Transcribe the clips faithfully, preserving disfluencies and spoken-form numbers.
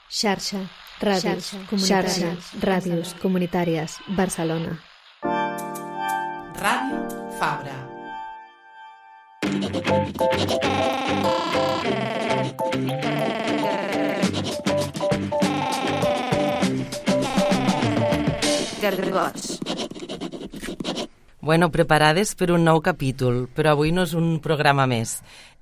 Xarxa, ràdios, xarxa, ràdios comunitàries, Barcelona. Ràdio Fabra. Gargots. Bueno, preparades per un nou capítol, però avui no és un programa més.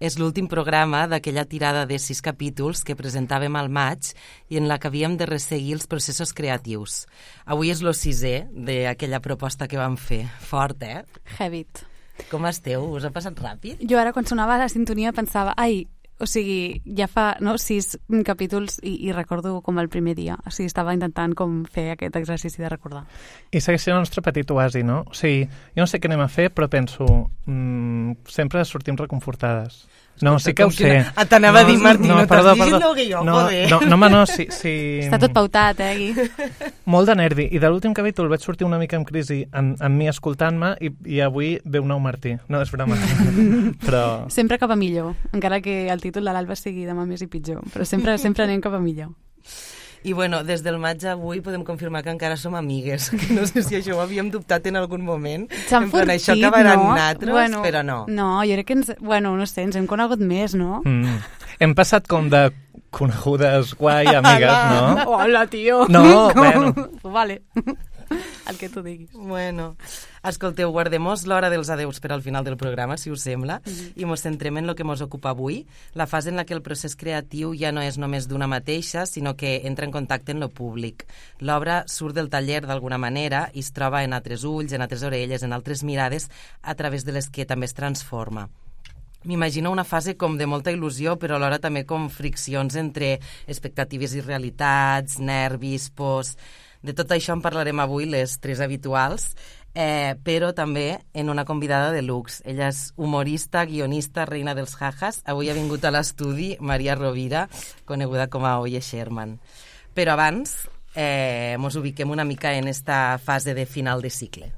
És l'últim programa d'aquella tirada de sis capítols que presentàvem al maig i en la que havíem de resseguir els processos creatius. Avui és el sisè d'aquella proposta que vam fer. Fort, eh? Heavit. Com esteu? Us ha passat ràpid? Jo ara, quan sonava la sintonia, pensava, ai, o sigui, ja fa no, sis capítols i, i recordo com el primer dia. O sigui, estava intentant com fer aquest exercici de recordar. I segueix sent el nostre petit oasi, no? O sigui, jo no sé què anem a fer, però penso, mmm, sempre sortim reconfortades. No, sí que ho sé. Ah, t'anava no, a dir, Martí, no, no perdó, t'has perdó. dit que jo, no, joder. No, no, home, no, sí, sí. Està tot pautat, eh, Gui? Molt de nervi. I de l'últim capítol vaig sortir una mica en crisi amb, amb mi escoltant-me i, i avui ve un nou Martí. No, és broma. Però... Sempre cap a millor, encara que el títol de l'Alba sigui demà més i pitjor. Però sempre, sempre anem cap a millor. I bueno, des del maig a avui podem confirmar que encara som amigues. Que no sé si això ho havíem dubtat en algun moment. S'han fortit, això acabarà no? en natros, bueno, però no. No, jo crec que ens... Bueno, no sé, ens hem conegut més, no? Mm. Hem passat com de conegudes guai amigues, no? Hola, tio! No, bueno. Vale. El que tu diguis. Bueno, escolteu, guardem-nos l'hora dels adeus per al final del programa, si us sembla, mm-hmm. i mos centrem en el que mos ocupa avui, la fase en la que el procés creatiu ja no és només d'una mateixa, sinó que entra en contacte amb lo públic. L'obra surt del taller d'alguna manera i es troba en altres ulls, en altres orelles, en altres mirades, a través de les que també es transforma. M'imagino una fase com de molta il·lusió, però alhora també com friccions entre expectatives i realitats, nervis, pors... De tot això en parlarem avui les tres habituals, eh, però també en una convidada de luxe. Ella és humorista, guionista, reina dels jajas. Avui ha vingut a l'estudi Maria Rovira, coneguda com a Oye Sherman. Però abans, eh, mos ubiquem una mica en esta fase de final de cicle.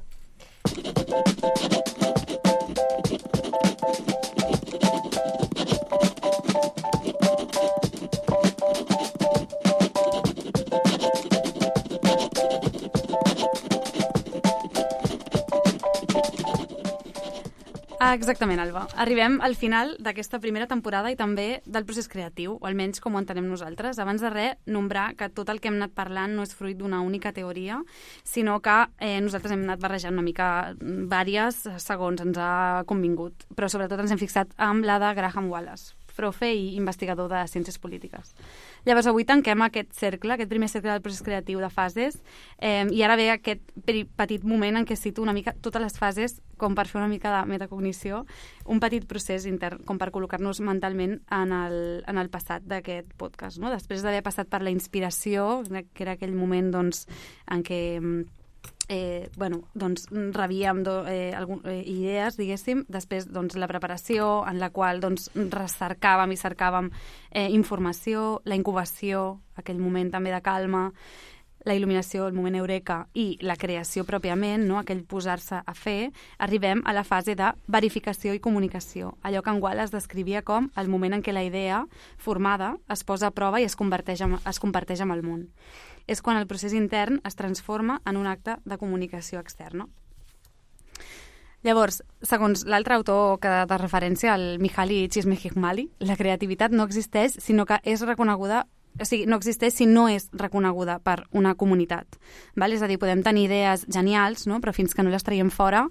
Ah, exactament, Alba. Arribem al final d'aquesta primera temporada i també del procés creatiu, o almenys com ho entenem nosaltres. Abans de res, nombrar que tot el que hem anat parlant no és fruit d'una única teoria, sinó que eh, nosaltres hem anat barrejant una mica vàries segons ens ha convingut, però sobretot ens hem fixat amb la de Graham Wallace, profe i investigador de ciències polítiques. Llavors, avui tanquem aquest cercle, aquest primer cercle del procés creatiu de fases, eh, i ara ve aquest petit moment en què cito una mica totes les fases, com per fer una mica de metacognició, un petit procés intern, com per col·locar-nos mentalment en el, en el passat d'aquest podcast, no? Després d'haver passat per la inspiració, que era aquell moment doncs, en què... Eh, bueno, doncs rebíem do, eh, algun, eh, idees, diguéssim, després doncs, la preparació en la qual doncs, recercàvem i cercàvem eh, informació, la incubació, aquell moment també de calma, la il·luminació, el moment eureka i la creació pròpiament, no? Aquell posar-se a fer, arribem a la fase de verificació i comunicació, allò que en Wallace descrivia com el moment en què la idea formada es posa a prova i es converteix en, es comparteix amb el món. És quan el procés intern es transforma en un acte de comunicació externa. Llavors, segons l'altre autor que de referència, el Mihaly Csikszentmihalyi, la creativitat no existeix, sinó que és reconeguda, o sigui, no existeix si no és reconeguda per una comunitat. Val? És a dir, podem tenir idees genials, no? Però fins que no les traiem fora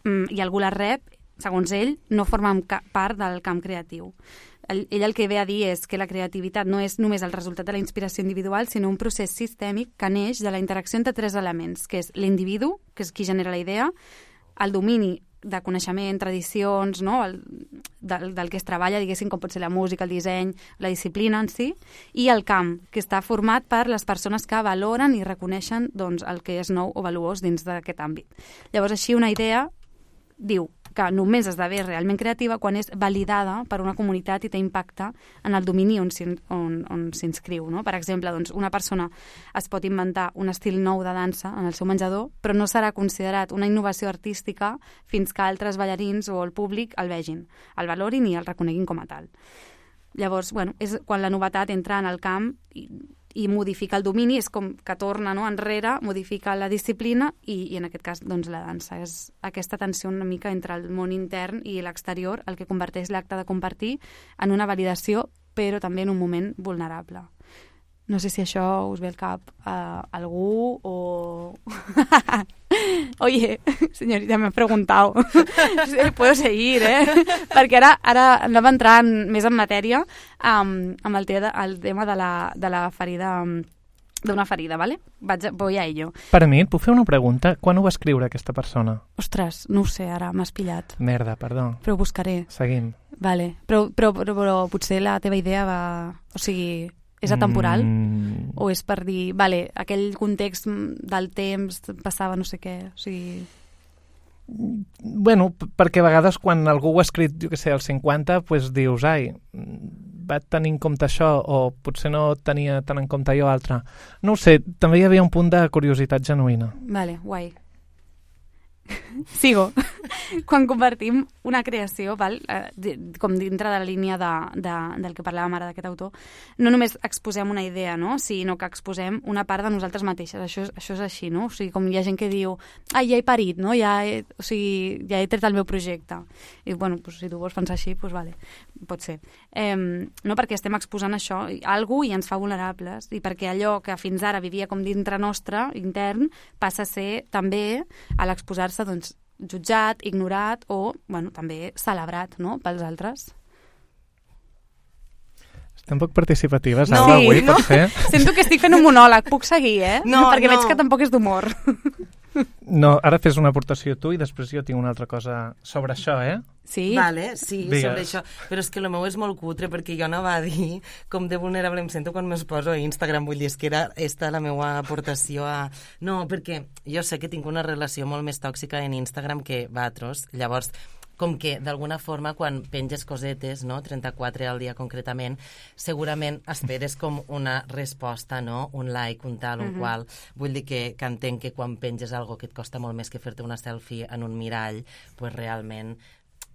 i algú les rep, segons ell, no formen part del camp creatiu. Ell el que ve a dir és que la creativitat no és només el resultat de la inspiració individual, sinó un procés sistèmic que neix de la interacció entre tres elements, que és l'individu, que és qui genera la idea, el domini de coneixement, tradicions, no? el, del, del que es treballa, diguéssim, com pot ser la música, el disseny, la disciplina en si, i el camp, que està format per les persones que valoren i reconeixen doncs, el que és nou o valuós dins d'aquest àmbit. Llavors, així, una idea diu que només esdevé realment creativa quan és validada per una comunitat i té impacte en el domini on, on, on s'inscriu. No? Per exemple, doncs, una persona es pot inventar un estil nou de dansa en el seu menjador, però no serà considerat una innovació artística fins que altres ballarins o el públic el vegin, el valorin i el reconeguin com a tal. Llavors, bueno, és quan la novetat entra en el camp i i modifica el domini, és com que torna, no, enrere, modifica la disciplina i, i en aquest cas doncs, la dansa. És aquesta tensió una mica entre el món intern i l'exterior, el que converteix l'acte de compartir en una validació, però també en un moment vulnerable. No sé si això us ve al cap a algú o... Oye, señorita, me he preguntado. Puedo seguir, eh? Perquè ara, ara anem a entrar en, més en matèria um, amb el, te, el tema de la, de la ferida, um, d'una ferida, ¿vale? Vaig, voy a ello. Per a mi, et puc fer una pregunta? Quan ho va escriure aquesta persona? Ostres, no ho sé, ara m'has pillat. Merda, perdó. Però ho buscaré. Seguim. Vale, però, però, però, però potser la teva idea va... O sigui... És atemporal? Mm. O és per dir, vale, aquell context del temps passava no sé què, o sigui... Bueno, perquè a vegades quan algú ho ha escrit, jo què sé, als cinquanta, pues dius, ai, va tenir en compte això, o potser no tenia tant en compte allò altre. No ho sé, també hi havia un punt de curiositat genuïna. Vale, guai. Sigo. Quan convertim una creació, val, eh, com dintre de la línia de, de, del que parlàvem ara d'aquest autor, no només exposem una idea, no? Sinó que exposem una part de nosaltres mateixes. Això, això és així, no? O sigui, com hi ha gent que diu, ai, ja he parit, no? Ja he, o sigui, ja he tret el meu projecte. I, bueno, pues, si tu vols pensar així, pues, vale, pot ser. Eh, no perquè estem exposant això, algú i ens fa vulnerables, i perquè allò que fins ara vivia com dintre nostre, intern, passa a ser també, a l'exposar-se, doncs, jutjat, ignorat o, bueno, també celebrat, no?, pels altres. Estem poc participatives, no, Alba, sí, avui, no? pot ser? Sento que estic fent un monòleg, puc seguir, eh? No, perquè no. veig que tampoc és d'humor. No, ara fes una aportació tu i després jo tinc una altra cosa sobre això, eh? Sí? Vale, sí, Digues. sobre això. Però és que el meu és molt cutre perquè jo no va dir com de vulnerable em sento quan me'ls poso a Instagram. Vull dir, és que era esta la meva aportació a... No, perquè jo sé que tinc una relació molt més tòxica en Instagram que Vatros. Llavors, com que d'alguna forma quan penges cosetes, no, trenta-quatre al dia concretament, segurament esperes com una resposta, no, un like, un tal, un uh-huh. qual. Vull dir que, que entenc que quan penges algo que et costa molt més que fer-te una selfie en un mirall, pues realment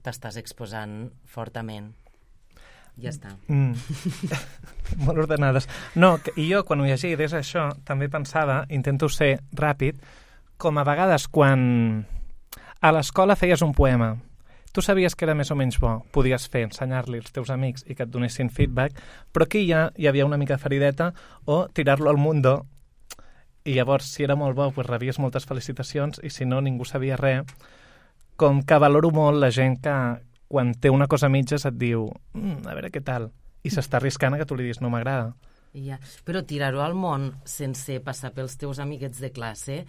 t'estàs exposant fortament. Ja està. Mm. Molt ordenades. No, que, i jo quan ho llegia des això també pensava, intento ser ràpid, com a vegades quan a l'escola feies un poema, tu sabies que era més o menys bo, podies fer, ensenyar-li als teus amics i que et donessin feedback, però aquí ja hi havia una mica de ferideta o tirar-lo al mundo i llavors si era molt bo pues rebies moltes felicitacions i si no ningú sabia res. Com que valoro molt la gent que quan té una cosa a mitges et diu mm, a veure què tal, i s'està arriscant a que tu li diguis no m'agrada. Ja. Però tirar-ho al món sense passar pels teus amiguets de classe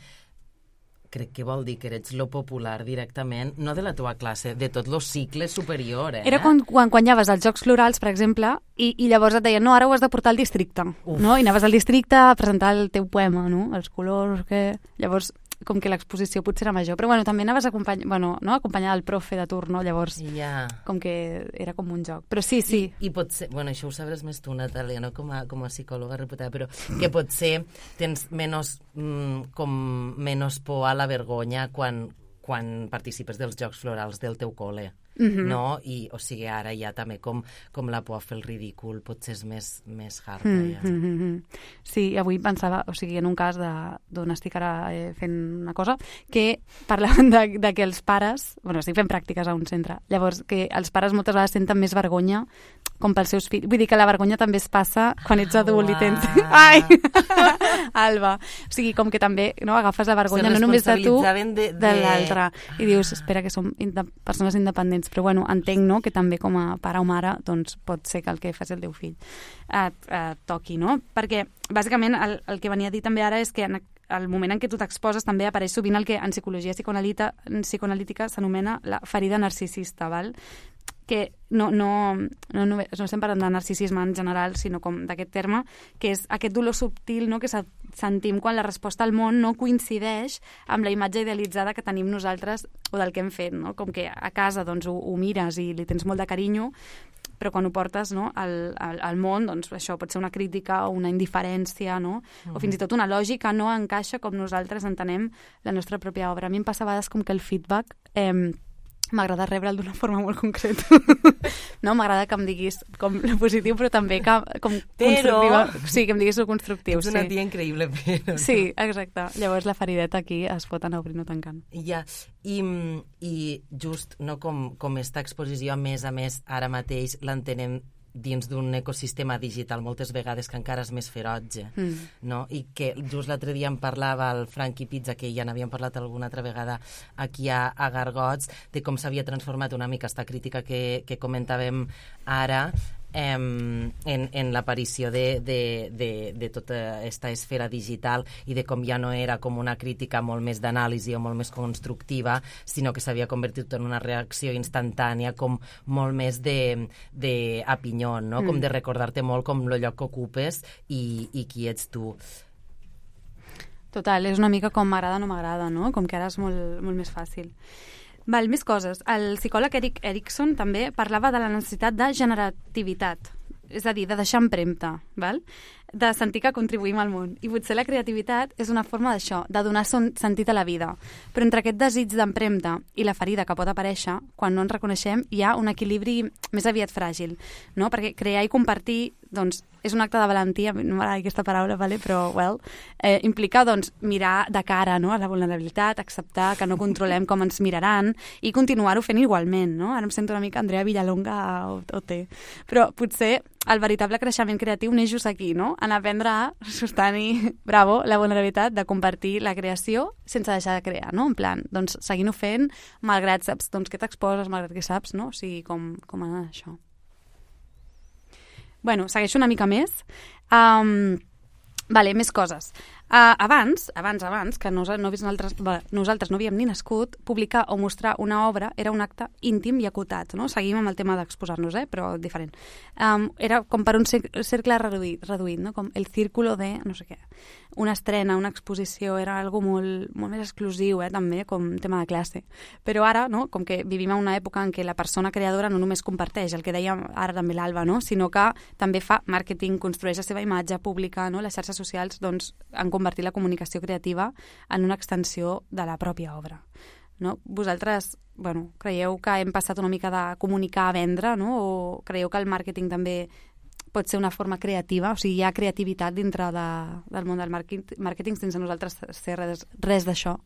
crec que vol dir que eres lo popular directament, no de la teva classe, de tot lo cicle superior, eh? Era quan, quan guanyaves els Jocs Florals, per exemple, i, i llavors et deien, no, ara ho has de portar al districte, Uf. no? I anaves al districte a presentar el teu poema, no? Els colors, que... Llavors, com que l'exposició potser era major, però bueno, també anaves acompany... bueno, no? acompanyada del profe de turno, llavors ja. com que era com un joc. Però sí, sí. I, i pot ser, bueno, això ho sabràs més tu, Natàlia, no com a, com a psicòloga reputada, però que potser tens menys, mm, com menys por a la vergonya quan, quan participes dels Jocs Florals del teu col·le. Mm-hmm. No? I, o sigui, ara ja també com, com la por a fer el ridícul potser és més, més hard. Ja. Mm-hmm. Sí, avui pensava, o sigui, en un cas d'on estic ara eh, fent una cosa, que parlaven de, de que els pares, bueno, estic fent pràctiques a un centre, llavors que els pares moltes vegades senten més vergonya com pels seus fills. Vull dir que la vergonya també es passa quan ets adult i tens... Ai! Alba! O sigui, com que també no, agafes la vergonya no només de tu, de, de... de l'altre. I dius, espera, que som inde persones independents, però bueno, entenc no, que també com a pare o mare doncs, pot ser que el que fas el teu fill et, et toqui, no? Perquè bàsicament el, el que venia a dir també ara és que en el moment en què tu t'exposes també apareix sovint el que en psicologia psicoanalítica s'anomena la ferida narcisista, val? Que no, no, no, no, no estem parlant de narcisisme en general, sinó com d'aquest terme, que és aquest dolor subtil no, que sentim quan la resposta al món no coincideix amb la imatge idealitzada que tenim nosaltres o del que hem fet. No? Com que a casa doncs, ho, ho mires i li tens molt de carinyo, però quan ho portes no, al, al, al món, doncs això pot ser una crítica o una indiferència, no? Mm-hmm. O fins i tot una lògica no encaixa com nosaltres entenem la nostra pròpia obra. A mi em passa a vegades com que el feedback... Eh, m'agrada rebre'l d'una forma molt concreta. No, m'agrada que em diguis com lo positiu, però també que, com però... constructiva. Sí, que em diguis lo constructiu. Ets una sí. tia increïble, però... Sí, exacte. Llavors la ferideta aquí es pot anar obrint o tancant. Ja, i, i just no, com, com esta exposició, a més a més, ara mateix l'entenem dins d'un ecosistema digital moltes vegades que encara és més ferotge, mm. no? I que just l'altre dia em parlava el Frankie Pizza, que ja n'havíem parlat alguna altra vegada aquí a, a Gargots, de com s'havia transformat una mica esta crítica que, que comentàvem ara, en, en l'aparició de, de, de, de tota aquesta esfera digital i de com ja no era com una crítica molt més d'anàlisi o molt més constructiva, sinó que s'havia convertit en una reacció instantània, com molt més d'opinió, no? Mm. Com de recordar-te molt com el lloc que ocupes i, i qui ets tu. Total, és una mica com m'agrada o no m'agrada, no? Com que ara és molt, molt més fàcil. Val, més coses. El psicòleg Erik Erikson també parlava de la necessitat de generativitat, és a dir, de deixar empremta, val? De sentir que contribuïm al món. I potser la creativitat és una forma d'això, de donar son sentit a la vida. Però entre aquest desig d'empremta i la ferida que pot aparèixer, quan no ens reconeixem, hi ha un equilibri més aviat fràgil, no? Perquè crear i compartir, doncs, és un acte de valentia, no m'agrada aquesta paraula, vale? Però, well, eh, implica, doncs, mirar de cara, no?, a la vulnerabilitat, acceptar que no controlem com ens miraran i continuar-ho fent igualment, no? Ara em sento una mica Andrea Villalonga o, o té. Però potser el veritable creixement creatiu neix just aquí, no? En aprendre a sostenir, bravo, la vulnerabilitat de compartir la creació sense deixar de crear, no? En plan, doncs, seguint-ho fent, malgrat saps, doncs, què t'exposes, malgrat què saps, no? O sigui, com, com anar això. Bueno, segueixo una mica més. Um, vale, més coses. Uh, abans, abans, abans, que no, no nosaltres, nosaltres no havíem ni nascut, publicar o mostrar una obra era un acte íntim i acotat, no? Seguim amb el tema d'exposar-nos, eh? Però diferent. Um, era com per un cercle reduït, reduït, no? Com el círculo de no sé què. Una estrena, una exposició, era algo molt, molt més exclusiu, eh? També, com tema de classe. Però ara, no? Com que vivim en una època en què la persona creadora no només comparteix, el que deia ara també l'Alba, no? Sinó que també fa màrqueting, construeix la seva imatge pública, no? Les xarxes socials, doncs, han convertir la comunicació creativa en una extensió de la pròpia obra. No? Vosaltres, bueno, creieu que hem passat una mica de comunicar a vendre, no? O creieu que el màrqueting també pot ser una forma creativa? O sigui, hi ha creativitat dintre de, del món del màrqueting, màrqueting sense nosaltres ser res, res d'això?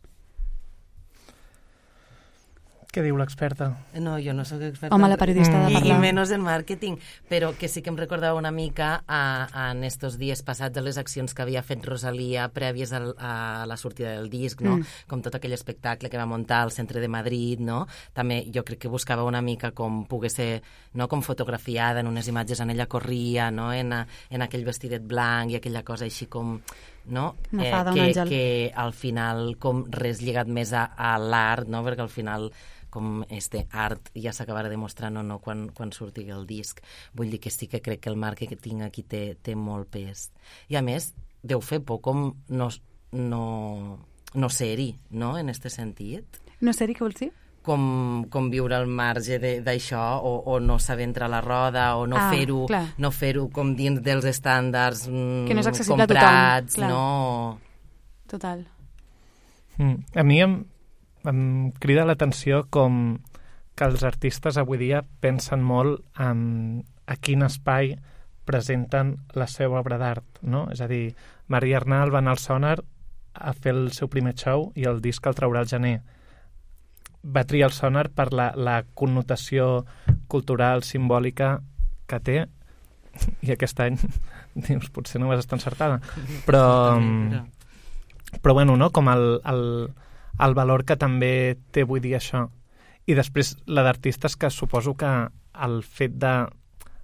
Què diu l'experta? No, jo no sóc experta. Home, la periodista mm. de parlar. I, I menys en màrqueting, però que sí que em recordava una mica a, a, en estos dies passats a les accions que havia fet Rosalía prèvies al, a la sortida del disc, no? Mm. Com tot aquell espectacle que va muntar al centre de Madrid, no? També jo crec que buscava una mica com pogués ser, no? Com fotografiada en unes imatges on ella corria, no? En, a, en aquell vestidet blanc i aquella cosa així com... no? Eh, fada, que, que al final com res lligat més a, a l'art, no? Perquè al final com este art ja s'acabarà demostrant o no quan, quan surti el disc. Vull dir que sí que crec que el màrqueting aquí té, té molt pes. I a més, deu fer por com no, no, no ser-hi, no?, en este sentit. No ser-hi, què vols dir? Com, com viure al marge d'això o, o no saber entrar a la roda o no ah, fer-ho no fer-ho com dins dels estàndards mm, que no és accessible comprats, a tothom. No... Total. Mm, a mi em, em crida l'atenció com que els artistes avui dia pensen molt en a quin espai presenten la seva obra d'art, no? És a dir, Maria Arnal va anar al Sonar a fer el seu primer show i el disc el traurà al gener. Va triar el Sonar per la, la connotació cultural, simbòlica que té, i aquest any dius, potser no vas estar encertada, però però bueno, no? Com el, el, el valor que també té avui dia això. I després la d'artistes, que suposo que el fet de,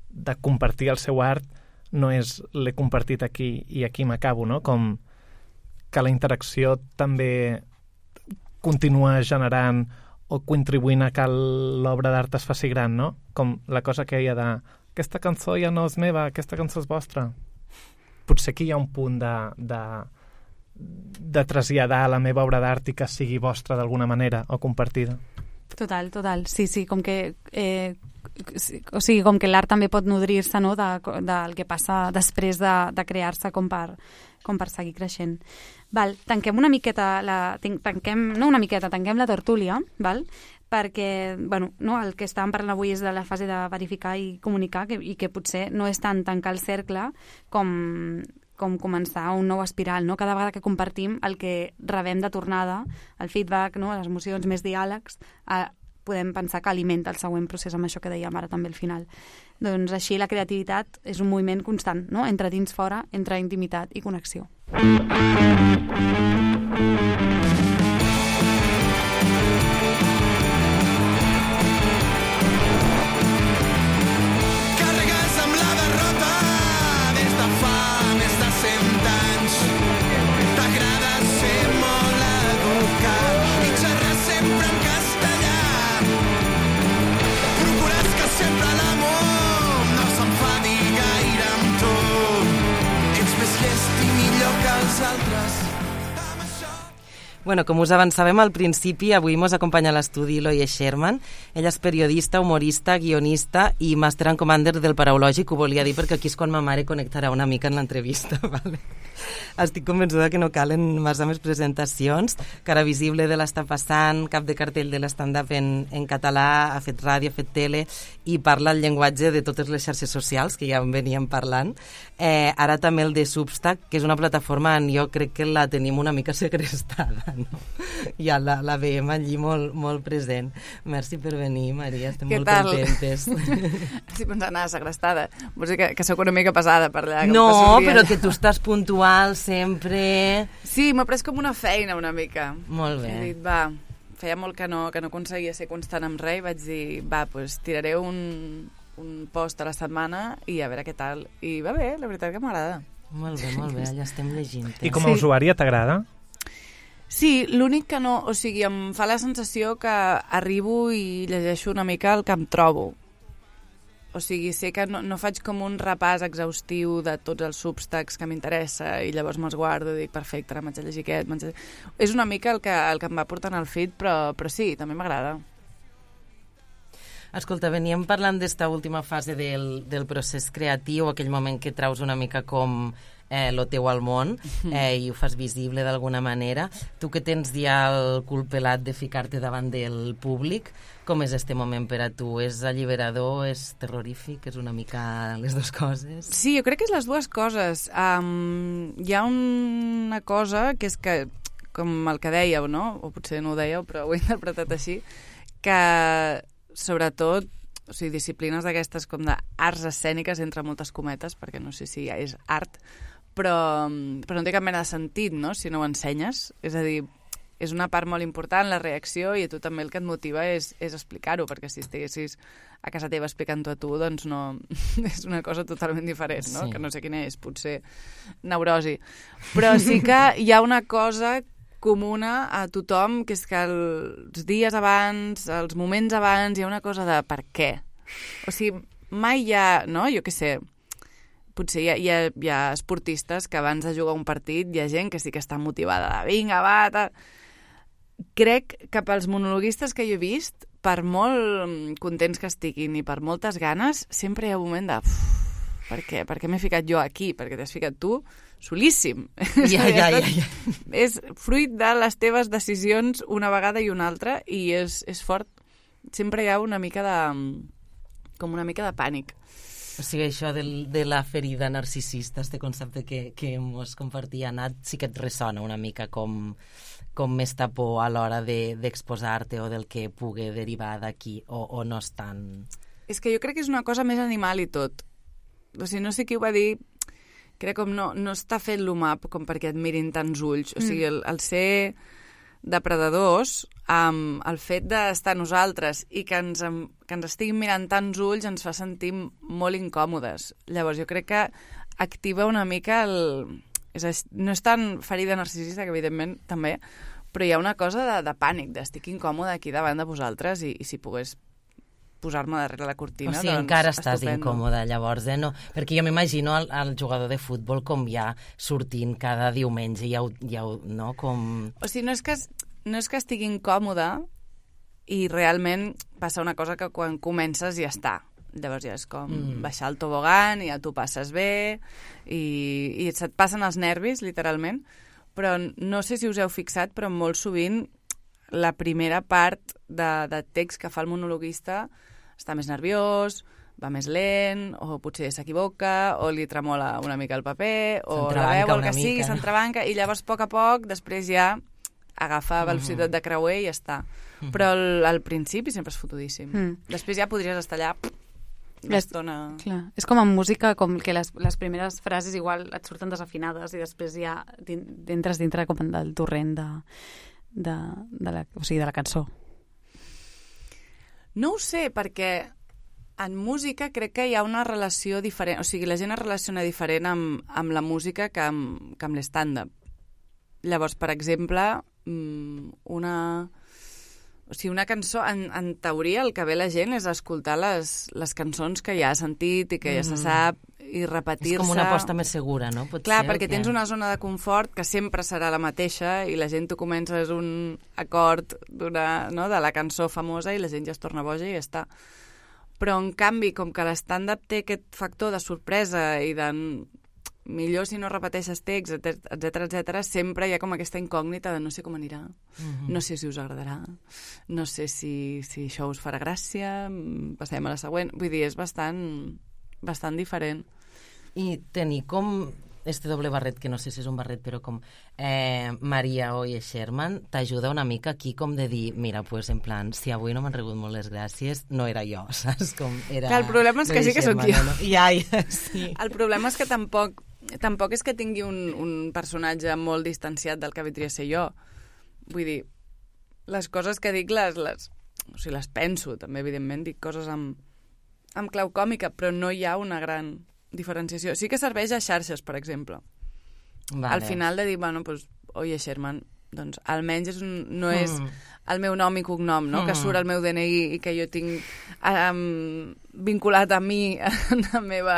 de compartir el seu art no és l'he compartit aquí i aquí m'acabo, no? Com que la interacció també continua generant o contribuint a que l'obra d'art es faci gran, no? Com la cosa que hi ha de aquesta cançó ja no és meva, aquesta cançó és vostra. Potser aquí hi ha un punt de, de, de traslladar la meva obra d'art i que sigui vostra d'alguna manera o compartida. Total, total. Sí, sí, com que... Eh, o sigui, com que l'art també pot nodrir-se, no?, de, del que passa després de, de crear-se com per, com per seguir creixent. Val, tanquem una miqueta, la, tanquem, no una miqueta, tanquem la tertúlia, val? perquè bueno, no, el que estàvem parlant avui és de la fase de verificar i comunicar que, i que potser no és tant tancar el cercle com, com començar un nou espiral. No? Cada vegada que compartim el que rebem de tornada, el feedback, no? les emocions, més diàlegs, eh, podem pensar que alimenta el següent procés amb això que dèiem ara també al final. Doncs així la creativitat és un moviment constant, no? Entre dins fora, entre intimitat i connexió. Carregues amb la derrota des de fa més de cent anys. T'agrada ser molt educat i xerrar sempre en castellà. Procures que sempre l'amor no s'enfadi gaire amb tu. Ets més llest i millor que els altres. Bueno, com us avançàvem al principi, avui mos acompanya a l'estudi Eloy Sherman. Ella és periodista, humorista, guionista i màster en commander del Paraulògic. Ho volia dir perquè aquí és quan ma mare connectarà una mica en l'entrevista. Vale? Estic convençuda que no calen massa més presentacions. Cara visible de l'Està passant, cap de cartell de l'stand-up en, en català, ha fet ràdio, ha fet tele i parla el llenguatge de totes les xarxes socials, que ja en veníem parlant. Eh, ara també el de Substack, que és una plataforma on jo crec que la tenim una mica segrestada. No? Ja la, la veiem allí molt, molt present. Merci per venir, Maria, estem Què molt tal? contentes. Estic pensant, ah, segrestada. Vols dir que, que sóc una mica pesada per allà. Que No, em passo el dia però allà. que tu estàs puntual sempre. Sí, m'ha pres com una feina una mica. Molt bé. He dit, va, feia molt que no, que no aconseguia ser constant amb res i vaig dir, va, doncs tiraré un, un post a la setmana i a veure què tal. I va bé, la veritat que m'agrada. Molt bé, molt bé, allà estem llegint. I com a Sí. usuària t'agrada? Sí, l'únic que no... O sigui, em fa la sensació que arribo i llegeixo una mica el que em trobo. O sigui, sé que no, no faig com un repàs exhaustiu de tots els substacks que m'interessa i llavors me'ls guardo i dic, perfecte, ara m'haig de llegir aquest. m'haig de... És una mica el que, el que em va portant al feed, però, però sí, també m'agrada. Escolta, veníem parlant d'esta última fase del, del procés creatiu, aquell moment que traus una mica com eh, lo teu al món eh, i ho fas visible d'alguna manera. Tu que tens ja el cul pelat de ficar-te davant del públic, com és este moment per a tu? És alliberador, és terrorífic, és una mica les dues coses? Sí, jo crec que és les dues coses. Um, hi ha una cosa que és que, com el que dèieu, no? O potser no ho dèieu, però ho he interpretat així, que sobretot, o sigui, disciplines d'aquestes com d'arts escèniques, entre moltes cometes, perquè no sé si ja és art, però, però no té cap mena de sentit, no?, si no ho ensenyes. És a dir, és una part molt important, la reacció, i a tu també el que et motiva és, és explicar-ho, perquè si estiguessis a casa teva explicant-ho a tu, doncs no... és una cosa totalment diferent, no? Sí. Que no sé quina és, potser neurosi. Però sí que hi ha una cosa comuna a tothom, que és que els dies abans, els moments abans, hi ha una cosa de per què. O sigui, mai hi ha, no?, jo què sé, potser hi ha, hi ha, hi ha esportistes que abans de jugar un partit hi ha gent que sí que està motivada de vinga, va, tal. Crec que pels monologuistes que jo he vist, per molt contents que estiguin i per moltes ganes, sempre hi ha un moment de... Uf, per què? Per què m'he ficat jo aquí? Perquè t'has ficat tu solíssim. Ja, ja, ja, ja. És fruit de les teves decisions una vegada i una altra i és, és fort. Sempre hi ha una mica de... com una mica de pànic. O sigui, això del, de la ferida narcisista, este concepte que, que mos compartia Nat, sí que et ressona una mica com, com més por a l'hora d'exposar-te de, o del que pugui derivar d'aquí, o, o no és tan... És que jo crec que és una cosa més animal i tot. O sigui, no sé qui ho va dir, crec com no, no està fet l'humà com perquè et mirin tants ulls. O sigui, el, el ser depredadors, um, el fet d'estar nosaltres i que ens, que ens estiguin mirant tants ulls ens fa sentir molt incòmodes. Llavors, jo crec que activa una mica el... És a dir, no és tan ferida narcisista, que evidentment també, però hi ha una cosa de, de pànic, d'estic incòmode aquí davant de vosaltres i, i si pogués posar-me darrere la cortina, o sigui, doncs encara estàs estupendo. incòmode, llavors, eh? No, perquè jo m'imagino el, el jugador de futbol com ja sortint cada diumenge, ja ho, ja ho, no? Com... O sigui, no és que, no és que estigui incòmode i realment passa una cosa que quan comences ja està. Llavors ja és com mm. baixar el tobogan i ja t'ho passes bé i, i se't passen els nervis, literalment. Però no sé si us heu fixat, però molt sovint la primera part de, de text que fa el monologuista està més nerviós, va més lent, o potser s'equivoca, o li tremola una mica el paper, o la veu, el que sigui, s'entrebanca, i llavors, a poc a poc, després ja agafa velocitat de creuer i ja està. Mm. Però al, al principi sempre és fotudíssim. Mm. Després ja podries estar allà l'estona... Clar. És com en música, com que les, les primeres frases igual et surten desafinades i després ja din, entres dintre com del torrent de, de, de, la, o sigui, de la cançó. No ho sé, perquè en música crec que hi ha una relació diferent, o sigui, la gent es relaciona diferent amb, amb la música que amb, que amb l'stand-up. Llavors, per exemple, una, o sigui, una cançó, en, en teoria el que ve la gent és escoltar les, les cançons que ja ha sentit i que ja mm. se sap i repetir-se. És com una aposta més segura, no? Pot Clar, ser, perquè tens una zona de confort que sempre serà la mateixa i la gent tu comences un acord d'una, no, de la cançó famosa i la gent ja es torna boja i ja està. Però, en canvi, com que l'stand-up té aquest factor de sorpresa i de millor si no repeteixes text, etcètera, etcètera, sempre hi ha com aquesta incògnita de no sé com anirà, mm-hmm. no sé si us agradarà, no sé si, si això us farà gràcia, passem a la següent. Vull dir, és bastant, bastant diferent. I tenir com este doble barret, que no sé si és un barret, però com eh, Maria Oye Sherman, t'ajuda una mica aquí com de dir, mira, pues en plan, si avui no m'han rebut molt les gràcies, no era jo, saps? Com era... Clar, el problema és que sí que sóc jo. No? Ja, ja, sí. El problema és que tampoc, tampoc és que tingui un, un personatge molt distanciat del que vindria a ser jo. Vull dir, les coses que dic les, les, o sigui, les penso, també, evidentment, dic coses amb, amb clau còmica, però no hi ha una gran diferenciació. Sí que serveix a xarxes, per exemple. Vale. Al final de dir, bueno, pues, Oye Sherman, doncs almenys és un, no és mm. el meu nom i cognom, no? Mm. Que surt el meu D N I i que jo tinc um, vinculat a mi en la meva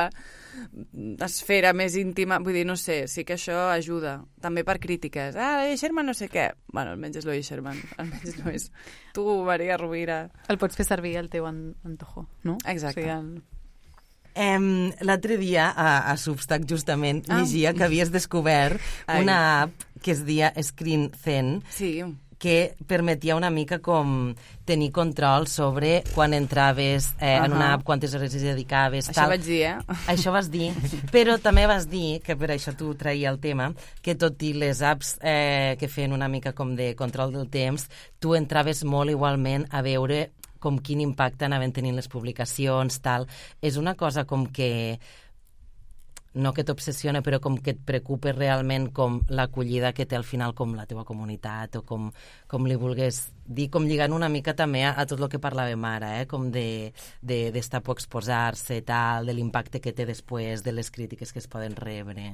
esfera més íntima. Vull dir, no sé, sí que això ajuda. També per crítiques. Ah, Oye Sherman no sé què. Bueno, almenys és l'Oye Sherman. Almenys no és tu, Maria Rovira. El pots fer servir el teu antojo, no? Exacte. O sigui, el... Um, l'altre dia a, a Substack justament ah. llegia que havies descobert Ai. una app que es deia Screen Zen, sí. que permetia una mica com tenir control sobre quan entraves eh, uh-huh. en una app, quantes hores hi dedicaves. Això tal. vaig dir, eh? Això vas dir, però també vas dir, que per això tu traia el tema, que tot i les apps eh, que feien una mica com de control del temps, tu entraves molt igualment a veure com quin impacte anaven tenint les publicacions, tal. És una cosa com que, no que t'obsessiona, però com que et preocupa realment com l'acollida que té al final com la teva comunitat, o com, com li vulgués dir, com lligant una mica també a, a tot el que parlàvem ara, eh? Com de, de, d'estar por exposar-se, tal, de l'impacte que té després, de les crítiques que es poden rebre.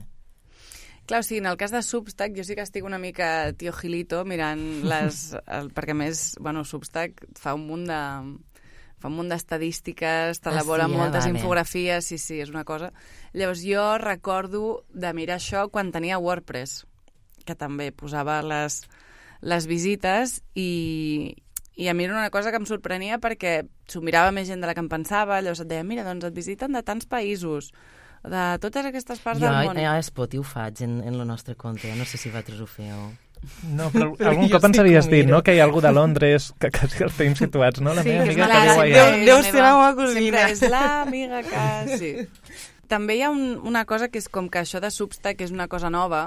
Clar, o sigui, en el cas de Substack jo sí que estic una mica tio Gilito mirant les... El, perquè a més, bueno, Substack fa un munt de... fa un munt d'estadístiques, t'elabora ah, sí, moltes vale. infografies, sí, sí, és una cosa. Llavors jo recordo de mirar això quan tenia WordPress, que també posava les, les visites i, i a mi era una cosa que em sorprenia perquè s'ho mirava més gent de la que em pensava, llavors et deia, mira, doncs et visiten de tants països, de totes aquestes parts jo, del món. Jo a Spotify ho faig en, en el nostre compte, no sé si vosaltres ho feu. No, però, però algun cop ens havies dit, no?, que hi ha algú de Londres que quasi els tenim situats, no? La sí, meva amiga que viu allà. Deu, deu ser la meva cosina. Sempre és l'amiga que... Sí. També hi ha un, una cosa que és com que això de Substack és una cosa nova,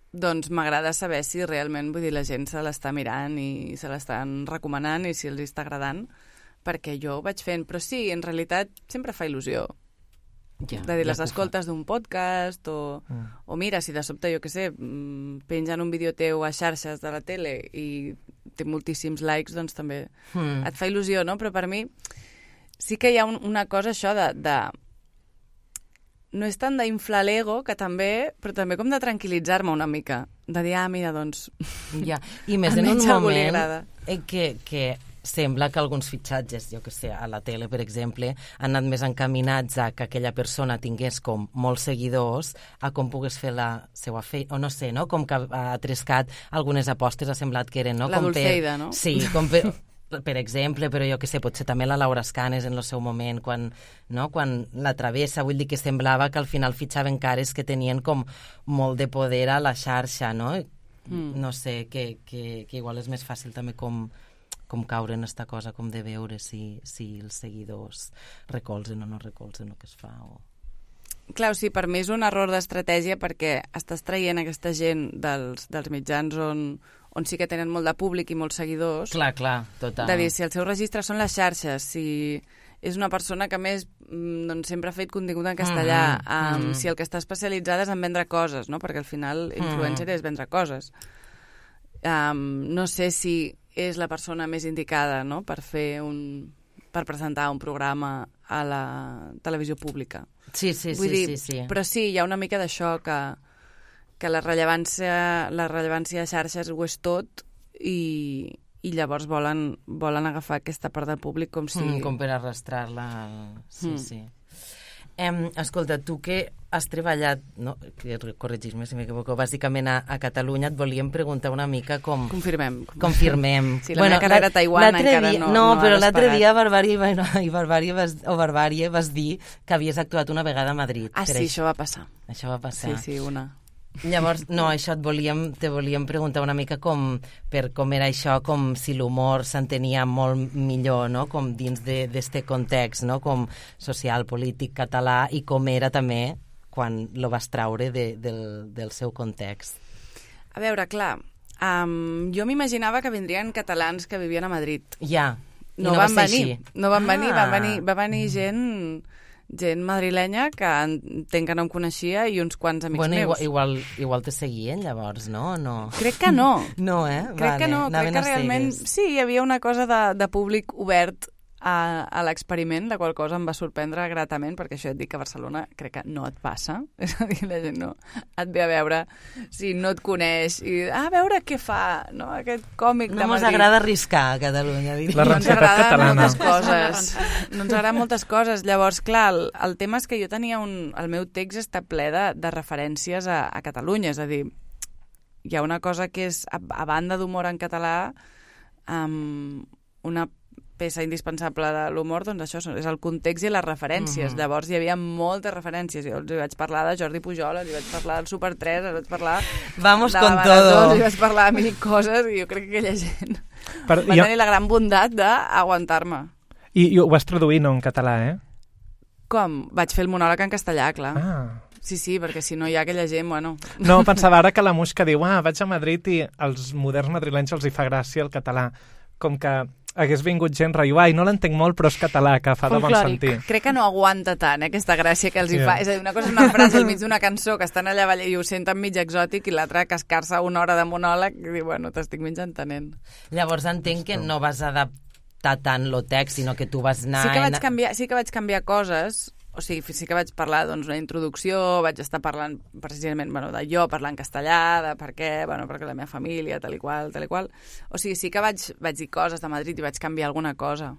doncs m'agrada saber si realment, vull dir, la gent se l'està mirant i se l'estan recomanant i si els està agradant, perquè jo ho vaig fent. Però sí, en realitat sempre fa il·lusió. Ja, de dir, les ja escoltes d'un podcast o, mm. o mira, si de sobte, jo què sé, pengen un vídeo teu a xarxes de la tele i té moltíssims likes, doncs també mm. et fa il·lusió, no? Però per mi sí que hi ha un, una cosa això de, de... no és tant d'inflar l'ego, que també, però també com de tranquil·litzar-me una mica, de dir, ah, mira, doncs... Ja, i més en un moment que, que sembla que alguns fitxatges, jo que sé, a la tele, per exemple, han anat més encaminats a que aquella persona tingués com molts seguidors a com pogués fer la seva feina, o no sé, no? Com que ha trescat algunes apostes, ha semblat que eren, no? La com Dulceida, per... no? Sí, com per... per exemple, però jo que sé, potser també la Laura Escanes en el seu moment, quan, no? Quan la travessa, vull dir que semblava que al final fitxaven cares que tenien com molt de poder a la xarxa, no? mm. no sé, que, que, que igual és més fàcil també com, com caure en esta cosa, com de veure si, si els seguidors recolzen o no recolzen el que es fa. O... Clar, o sigui, per mi és un error d'estratègia perquè estàs traient aquesta gent dels, dels mitjans on, on sí que tenen molt de públic i molts seguidors. Clar, clar, total. De dir, si el seu registre són les xarxes, si és una persona que més doncs, sempre ha fet contingut en castellà, mm-hmm. um, mm. si el que està especialitzada és en vendre coses, no? Perquè al final influencer mm. és vendre coses. Um, no sé si és la persona més indicada, no?, per fer un... per presentar un programa a la televisió pública. Sí, sí, Vull sí, dir, sí, sí. Però sí, hi ha una mica d'això que, que la rellevància, la rellevància de xarxes ho és tot i, i llavors volen, volen agafar aquesta part del públic com si... Mm, com per arrastrar-la. Sí, mm. sí. Em, escolta, tu que has treballat, no, corregis-me si m'equivoco, bàsicament a, a Catalunya, et volíem preguntar una mica com... Confirmem. Confirmem. Sí, la bueno, meva carrera a Taiwan encara dia, no, no, no però l'altre dia a Barbària, bueno, i Barbària vas, o Barbària vas dir que havies actuat una vegada a Madrid. Ah, sí, això va passar. Això va passar. Sí, sí, una. Llavors, no, això et volíem, te volíem preguntar una mica com, per com era això, com si l'humor s'entenia molt millor, no?, com dins d'este context, no?, com social, polític, català, i com era també quan lo vas traure de, del, del seu context. A veure, clar, um, jo m'imaginava que vindrien catalans que vivien a Madrid. Ja, i no, no va van ser venir. així. No van venir, ah. va venir, va venir gent... gent madrilenya que entenc que no em coneixia i uns quants amics bueno, meus. Igual, igual, igual te seguien, llavors, no? no? Crec que no. No, eh? Crec vale. que no, Anaven crec que realment... Sí, hi havia una cosa de, de públic obert a, a l'experiment, la qual cosa em va sorprendre gratament, perquè això et dic que a Barcelona crec que no et passa. És a dir, la gent no et ve a veure si no et coneix i a veure què fa, no? Aquest còmic no de Madrid. No ens agrada arriscar a Catalunya, diria. La rancialitat catalana. Moltes coses. No ens agraden moltes coses. Llavors, clar, el, el tema és que jo tenia un... El meu text està ple de, de referències a, a Catalunya, és a dir, hi ha una cosa que és, a, a banda d'humor en català, um, una peça indispensable de l'humor, doncs això és el context i les referències. Uh-huh. Llavors hi havia moltes referències. Jo els vaig parlar de Jordi Pujol, els vaig parlar del Super tres, els vaig parlar Vamos de con Marató, todo. els vaig parlar de mil coses i jo crec que aquella gent per, va jo... tenir la gran bondat d'aguantar-me. I, I ho vas traduir, no en català, eh? Com? Vaig fer el monòleg en castellà, clar. Ah. Sí, sí, perquè si no hi ha aquella gent, bueno... No, pensava ara que la Muixca diu ah, vaig a Madrid i als moderns madrilenys els hi fa gràcia el català. Com que hagués vingut gent riu, ai, no l'entenc molt, però és català, que fa de bon sentir. Crec que no aguanta tant, eh, aquesta gràcia que els hi Yeah. fa. És a dir, una cosa és una frase al mig d'una cançó que estan allà i ho senten mig exòtic i l'altra cascar-se una hora de monòleg i dir, bueno, t'estic mig entenent. Llavors entenc que no vas adaptar tant lo text, sinó que tu vas anar... Sí que vaig canviar, sí que vaig canviar coses. O sigui, sí que vaig parlar doncs, una introducció, vaig estar parlant precisament bueno, de jo, parlar en castellà, de per què, bueno, perquè la meva família, tal i qual, tal i qual. O sigui, sí que vaig, vaig dir coses de Madrid i vaig canviar alguna cosa.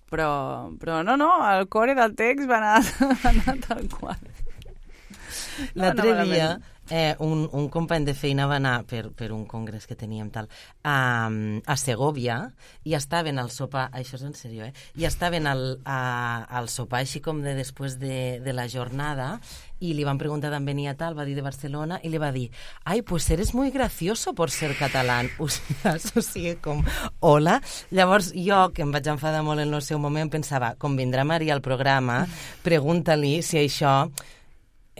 Però, però no, no, el core del text va anar, va anar tal qual. L'altre no, dia eh, un, un company de feina va anar per, per un congrés que teníem tal a, a Segòvia i estaven al sopar, això és en sèrio, eh? I estaven al, a, al sopar així com de després de, de la jornada i li van preguntar d'on venia tal, va dir de Barcelona i li va dir, ai, pues eres muy gracioso por ser catalán. O sigui, o sigui com, hola. Llavors jo, que em vaig enfadar molt en el seu moment, pensava, com vindrà Maria al programa, pregunta-li si això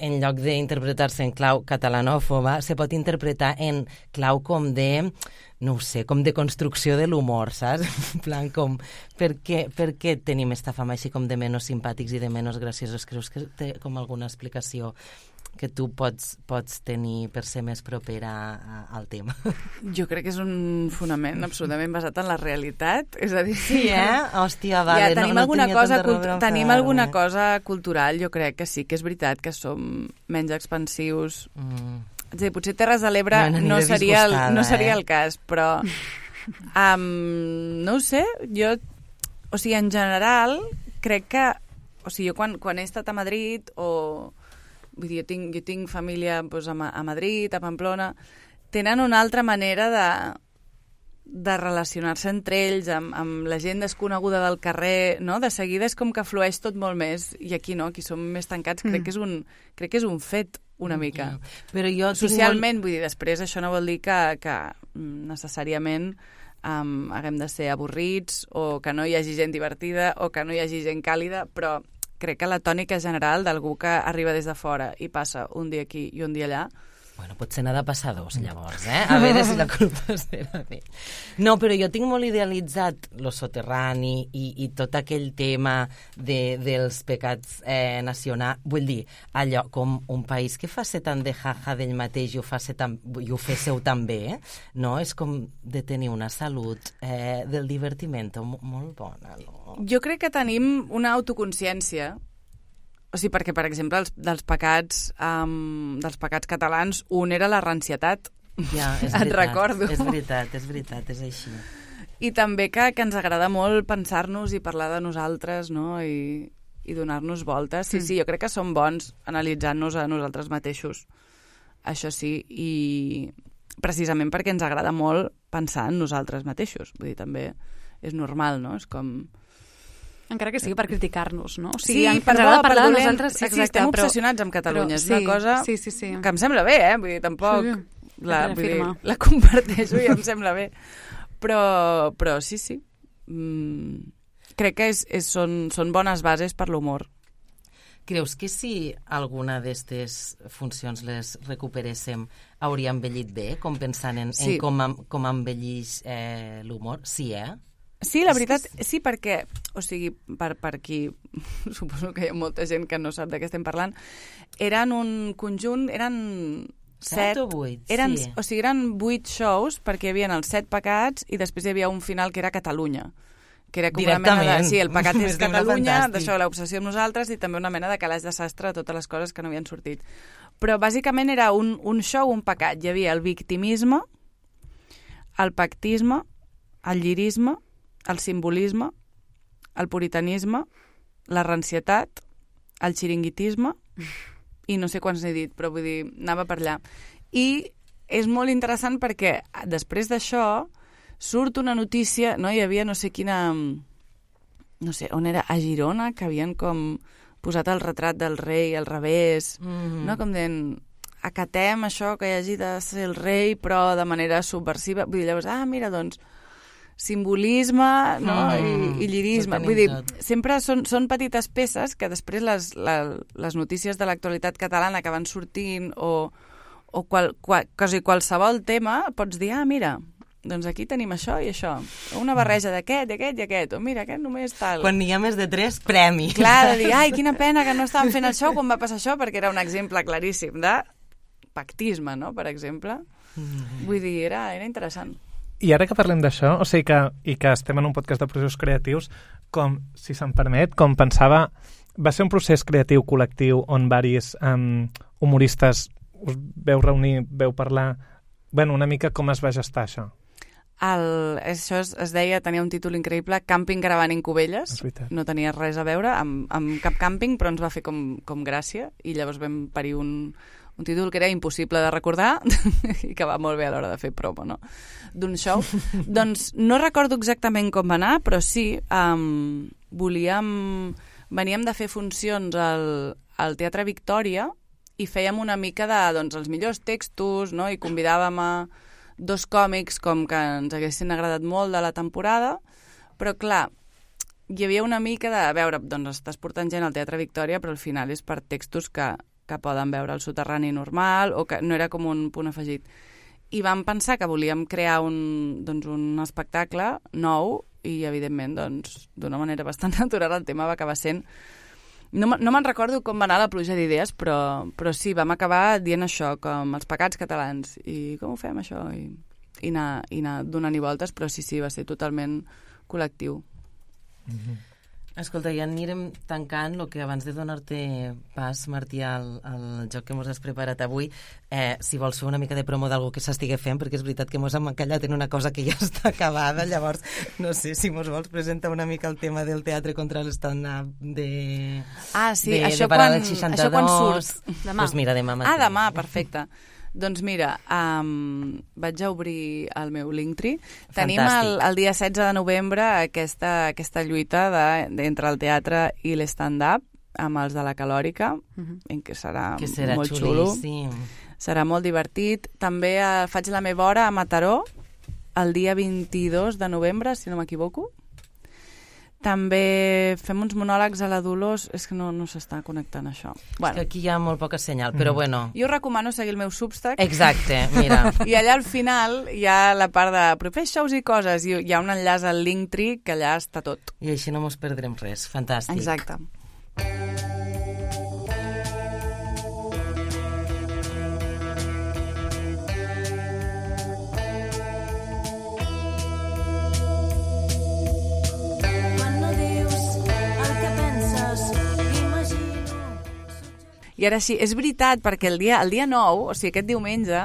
en lloc d'interpretar-se en clau catalanòfoba, se pot interpretar en clau com de, no ho sé, com de construcció de l'humor, saps? En plan, com, per què, per què tenim esta fama així com de menys simpàtics i de menys graciosos? Creus que té com alguna explicació que tu pots, pots tenir per ser més propera a, al tema? Jo crec que és un fonament absolutament basat en la realitat. És a dir, sí, eh? Hòstia, vale. Ja, tenim no, no alguna cosa, cult tenim alguna cosa cultural, jo crec que sí, que és veritat que som menys expansius. Mm. És a dir, potser Terres de l'Ebre no, no, seria el, no seria el cas, però um, no ho sé, jo, o sigui, en general, crec que, o sigui, jo quan, quan he estat a Madrid o... Vull dir, jo tinc, jo tinc família doncs, a, a Madrid, a Pamplona, tenen una altra manera de, de relacionar-se entre ells, amb, amb la gent desconeguda del carrer, no? De seguida és com que flueix tot molt més, i aquí no, aquí som més tancats, crec, mm. que, és un, crec que és un fet una mica. Però jo socialment, molt... vull dir, després això no vol dir que, que necessàriament um, haguem de ser avorrits o que no hi hagi gent divertida o que no hi hagi gent càlida, però crec que la tònica general d'algú que arriba des de fora i passa un dia aquí i un dia allà. Bueno, potser n'ha de passar dos, llavors, eh? A veure si la culpa serà d'ell. No, però jo tinc molt idealitzat lo soterrani i, i tot aquell tema de, dels pecats eh, nacionals. Vull dir, allò, com un país que fa ser tant de jaja d'ell mateix i ho, fa ser tan, i ho féssiu també, eh? No? És com de tenir una salut eh, del divertiment molt bona, no? Jo crec que tenim una autoconsciència. O sigui, perquè, per exemple, els, dels, pecats, um, dels pecats catalans, un era la rancietat. Ja, és Et recordo. És veritat, és veritat, és així. I també que, que ens agrada molt pensar-nos i parlar de nosaltres, no?, i, i donar-nos voltes. Sí, mm. sí, jo crec que som bons analitzant-nos a nosaltres mateixos. Això sí, i precisament perquè ens agrada molt pensar en nosaltres mateixos. Vull dir, també és normal, no? És com... Encara que sigui per criticar-nos, no? O sigui, sí, per bo, per dolent, de nosaltres... sí, sí, estem però, obsessionats amb Catalunya. Però, és una sí, cosa sí, sí, sí. que em sembla bé, eh? Vull dir, tampoc... Sí, la, vull dir, la comparteixo i em sembla bé. Però, però sí, sí. Mm, crec que és, és, són, són bones bases per l'humor. Creus que si alguna d'aquestes funcions les recuperéssim hauria envellit bé, com pensant en, sí. en com, com envellix eh, l'humor? Sí, eh? Sí, la veritat, sí, perquè, o sigui, per, per qui, suposo que hi ha molta gent que no sap de què estem parlant, eren un conjunt, eren set... Set o vuit, eren, sí. O sigui, eren vuit shows, perquè hi havia els set pecats i després hi havia un final que era Catalunya. Que era com una mena de... Sí, el pecat és Catalunya, d'això, l'obsessió amb nosaltres, i també una mena de calaix de sastre de totes les coses que no havien sortit. Però bàsicament era un, un show, un pecat. Hi havia el victimisme, el pactisme, el llirisme, el simbolisme, el puritanisme, la rancietat, el xiringuitisme, i no sé quants n'he dit, però vull dir, anava per allà. I és molt interessant perquè després d'això surt una notícia, no? Hi havia no sé quina... no sé, on era? A Girona, que havien com posat el retrat del rei al revés, mm-hmm. no? Com dient, acatem això que hi hagi de ser el rei, però de manera subversiva. Vull dir, llavors, ah, mira, doncs, simbolisme, no? Mm, I, i llirisme. Vull dir, tot. Sempre són, són petites peces que després les, la, les notícies de l'actualitat catalana que van sortint o, o qual, qual, quasi qualsevol tema pots dir, ah, mira, doncs aquí tenim això i això. Una barreja d'aquest, d'aquest i aquest. O mira, aquest només tal. Quan n'hi ha més de tres, premi. Clar, de dir, ai, quina pena que no estàvem fent el show quan va passar això, perquè era un exemple claríssim de pactisme, no?, per exemple. Mm. Vull dir, era, era interessant. I ara que parlem d'això, o sigui que, i que estem en un podcast de processos creatius, com, si se'm permet, com pensava, va ser un procés creatiu col·lectiu on varis um, humoristes us veu reunir, veu parlar, bueno, una mica com es va gestar això? El, això es, es deia, tenia un títol increïble, Càmping Gravant en Cubelles, no tenia res a veure amb, amb cap càmping, però ens va fer com, com gràcia, i llavors vam parir un, un títol que era impossible de recordar i que va molt bé a l'hora de fer promo, no?, d'un show. Doncs no recordo exactament com va anar, però sí, um, volíem... Veníem de fer funcions al, al Teatre Victòria i fèiem una mica de, doncs, els millors textos, no?, i convidàvem a dos còmics com que ens haguessin agradat molt de la temporada, però clar, hi havia una mica de, a veure, doncs estàs portant gent al Teatre Victòria, però al final és per textos que, que poden veure al soterrani normal o que no era com un punt afegit. I vam pensar que volíem crear un, doncs, un espectacle nou i, evidentment, doncs, d'una manera bastant natural el tema va acabar sent... No, no me'n recordo com va anar la pluja d'idees, però, però sí, vam acabar dient això, com els pecats catalans. I com ho fem, això? I, i anar, i anar donant-hi voltes, però sí, sí, va ser totalment col·lectiu. Mm-hmm. Escolta, ja anirem tancant el que abans de donar-te pas, Martí, al, al joc que mos has preparat avui. Eh, si vols fer una mica de promo d'algú que s'estigui fent, perquè és veritat que mos hem encallat en una cosa que ja està acabada, llavors no sé si mos vols presentar una mica el tema del teatre contra l'stand-up de... Ah, sí, de, això, de quan, seixanta-dos. això quan surt? Demà. Pues mira, demà mateix. Ah, demà, perfecte. Doncs mira, um, vaig a obrir el meu Linktree. Tenim el, el dia setze de novembre aquesta, aquesta lluita de, de, entre el teatre i l'stand-up, amb els de la Calòrica, Mhm. en què serà, Que serà molt xulo. xulíssim. Serà molt divertit. També eh, faig la meva hora a Mataró el dia vint-i-dos de novembre, si no m'equivoco. També fem uns monòlegs a la Dolors. És que no, no s'està connectant això. És Bueno, que aquí hi ha molt poca senyal, però bueno. jo us recomano seguir el meu Substack. Exacte, mira. I allà al final hi ha la part de propers shows i coses, i hi ha un enllaç al Linktree que allà està tot. I així no mos perdrem res. Fantàstic. Exacte. Quan no dius el que penses, imagino... I ara sí, és veritat, perquè el dia, el dia nou, o sigui, aquest diumenge,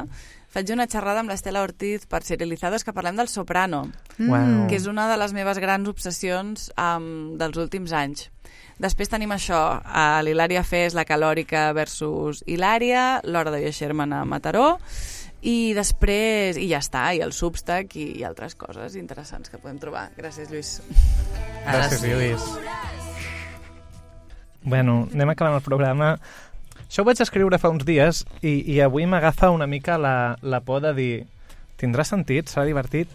faig una xerrada amb l'Estela Ortiz per Serializados que parlem del Soprano, Uau. que és una de les meves grans obsessions um, dels últims anys. Després tenim això, a l'Hilària Fes, la Calòrica versus Hilària, l'Hora de Sherman a Mataró, i després, i ja està, i el Substack i, i altres coses interessants que podem trobar. Gràcies, Lluís. Ara Gràcies, sí. Lluís. Bueno, anem acabant el programa. Això ho vaig escriure fa uns dies i, i avui m'agafa una mica la, la por de dir tindrà sentit, serà divertit.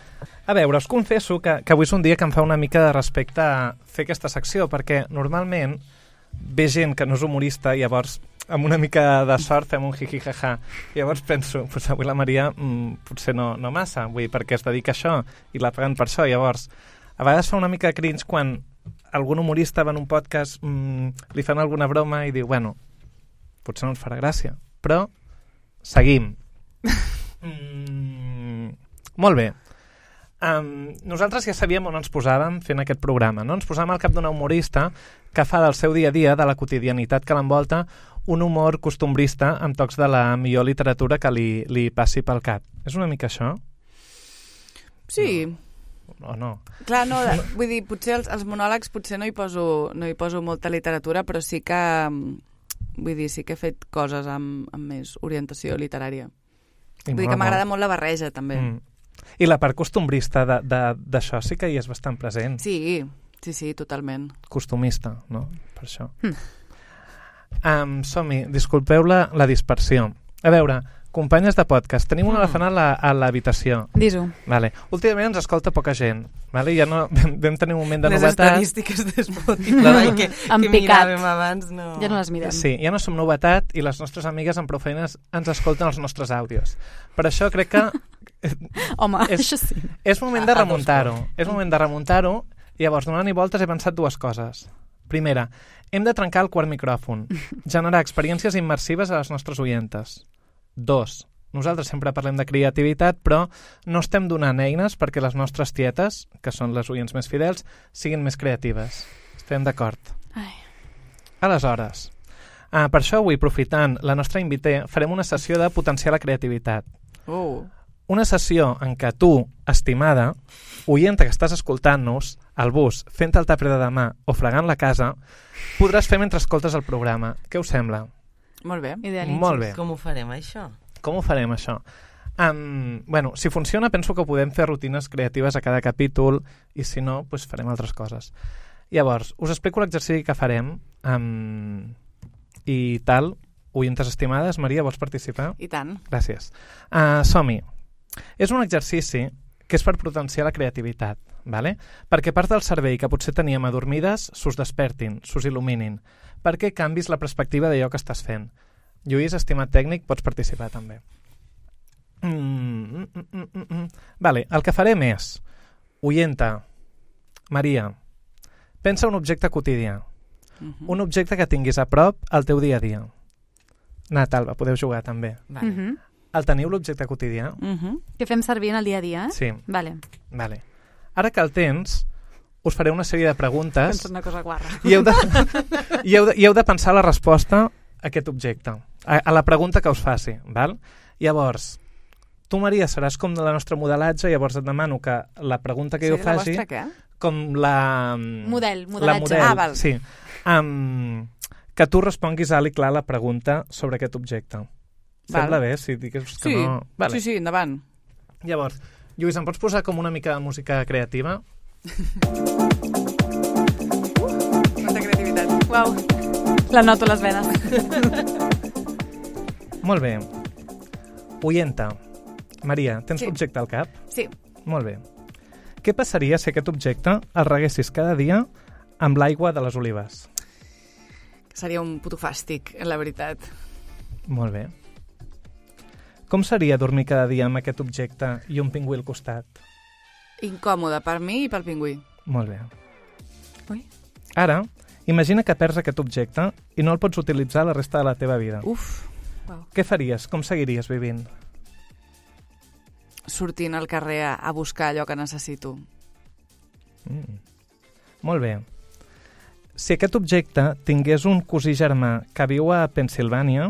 A veure, us confesso que, que avui és un dia que em fa una mica de respecte a fer aquesta secció, perquè normalment ve gent que no és humorista i llavors amb una mica de sort fem un jiji-jaja. I llavors penso, pues avui la Maria mm, potser no, no massa, vull dir, perquè es dedica a això i la paguen per això. Llavors, a vegades fa una mica de cringe quan algun humorista va en un podcast, mm, li fan alguna broma i diu, bueno, potser no ens farà gràcia, però seguim. Mm, molt bé. Um, nosaltres ja sabíem on ens posàvem fent aquest programa, no? Ens posàvem al cap d'una humorista que fa del seu dia a dia, de la quotidianitat que l'envolta, un humor costumbrista amb tocs de la millor literatura que li, li passi pel cap. És una mica això? Sí. O no? Clar, no, de, vull dir, potser els, els monòlegs potser no hi, poso, no hi poso molta literatura, però sí que, vull dir, sí que he fet coses amb, amb més orientació literària. I Vull dir mola que m'agrada molt. molt la barreja, també. Mm. I la part costumbrista de- de- d'això sí que hi és bastant present. Sí, sí, sí, totalment. Costumista, no? Per això. Mm. Um, som-hi, disculpeu la, la dispersió. A veure, companyes de podcast, tenim un elefant a la- a l'habitació. Dis-ho. Vale. Últimament ens escolta poca gent. Vale? Ja no, vam, vam tenir un moment de Les novetat. estadístiques de Spotify que, En que picat. miràvem abans no... Ja no les mirem. Sí, ja no som novetat i les nostres amigues amb prou feines ens escolten els nostres àudios. Per això crec que Home, És- això sí. és moment de remuntar-ho. És moment de remuntar-ho i llavors, donant-hi voltes, he pensat dues coses. Primera, hem de trencar el quart micròfon, generar experiències immersives a les nostres oientes. Dos, nosaltres sempre parlem de creativitat, però no estem donant eines perquè les nostres tietes, que són les oients més fidels, siguin més creatives. Estem d'acord. Ai. Aleshores, ah, per això avui, aprofitant la nostra invité, farem una sessió de potenciar la creativitat. Oh. Una sessió en què tu, estimada, oienta que estàs escoltant-nos, al bus, fent el tàper de demà o fregant la casa, podràs fer mentre escoltes el programa. Què us sembla? Molt bé. Idealitzis. Molt bé. Com ho farem, això? Com ho farem, això? Um, bueno, si funciona, penso que podem fer rutines creatives a cada capítol i si no, doncs farem altres coses. Llavors, us explico l'exercici que farem um, i tal. Oientes estimades, Maria, vols participar? I tant. Gràcies. Uh, som-hi. És un exercici que és per potenciar la creativitat, vale? Perquè part del cervell que potser teníem adormides s'us despertin, s'us il·luminin, perquè canvis la perspectiva d'allò que estàs fent. Lluís, estimat tècnic, pots participar també. Mm, mm, mm, mm, mm. Vale, el que farem és, oienta, Maria, pensa un objecte quotidià, Uh-huh. un objecte que tinguis a prop al teu dia a dia. Nat, Alba, podeu jugar també. Vale. Uh -huh. El teniu l'objecte quotidià? Uh-huh. Que fem servir en el dia a dia, eh? Sí. Vale. Vale. Ara que el tens, us faré una sèrie de preguntes Penso una cosa guarra. i heu de, i heu de, i heu de pensar la resposta a aquest objecte, a, a la pregunta que us faci. Val? Llavors, tu, Maria, seràs com de la nostra modelatge, llavors et demano que la pregunta que jo Sí, la faci, vostra què? com la... Model, La modelatge. model, Ah, val. sí. Um, que tu responguis alt i clar la pregunta sobre aquest objecte. Val. Sembla bé si digues que Sí, no... Vale. sí, sí, endavant. Llavors, Lluís, em pots posar com una mica de música creativa? Molta creativitat. Uau. La noto a les venes. Molt bé. Oyenta. Maria, tens Sí. l'objecte al cap? Sí. Molt bé. Què passaria si aquest objecte el reguessis cada dia amb l'aigua de les olives? Seria un puto fàstic, la veritat. Molt bé. Com seria dormir cada dia amb aquest objecte i un pingüí al costat? Incòmode per mi i pel pingüí. Molt bé. Ui. Ara, imagina que perds aquest objecte i no el pots utilitzar la resta de la teva vida. Uf. Wow. Què faries? Com seguiries vivint? Sortint al carrer a, a buscar allò que necessito. Mm. Molt bé. Si aquest objecte tingués un cosí germà que viu a Pensilvània,